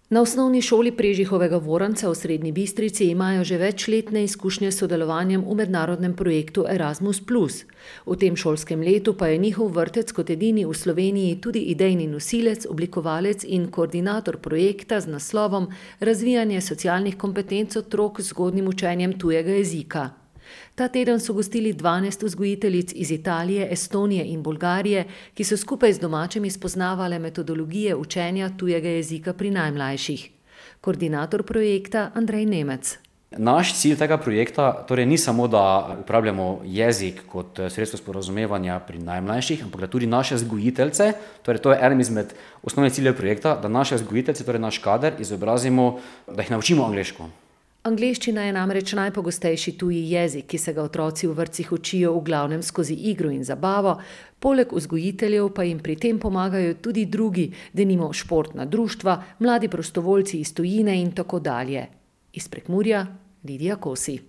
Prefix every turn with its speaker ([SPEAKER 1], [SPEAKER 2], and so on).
[SPEAKER 1] Na osnovni šoli Prežihovega Voranca v Srednji Bistrici imajo že večletne izkušnje s sodelovanjem v mednarodnem projektu Erasmus plus. V tem šolskem letu pa je njihov vrtec kot edini v Sloveniji tudi idejni nosilec, oblikovalec in koordinator projekta z naslovom Razvijanje socialnih kompetenc otrok z zgodnjim učenjem tujega jezika. Ta teden so gostili 12 vzgojiteljic iz Italije, Estonije in Bolgarije, ki so skupaj z domačimi spoznavale metodologije učenja tujega jezika pri najmlajših. Koordinator projekta Andrej Nemec.
[SPEAKER 2] Naš cilj tega projekta torej ni samo, da uporabljamo jezik kot sredstvo sporazumevanja pri najmlajših, ampak da tudi naše vzgojiteljice, torej to je eden izmed osnovnih ciljev projekta, da naše vzgojiteljice, torej naš kader, izobrazimo, da jih naučimo angleško.
[SPEAKER 1] Angleščina je namreč najpogostejši tuji jezik, ki se ga otroci v vrtcih učijo v glavnem skozi igro in zabavo, poleg vzgojiteljev pa jim pri tem pomagajo tudi drugi, denimo športna društva, mladi prostovoljci iz tujine in tako dalje. Iz Prekmurja Lidija Kosi.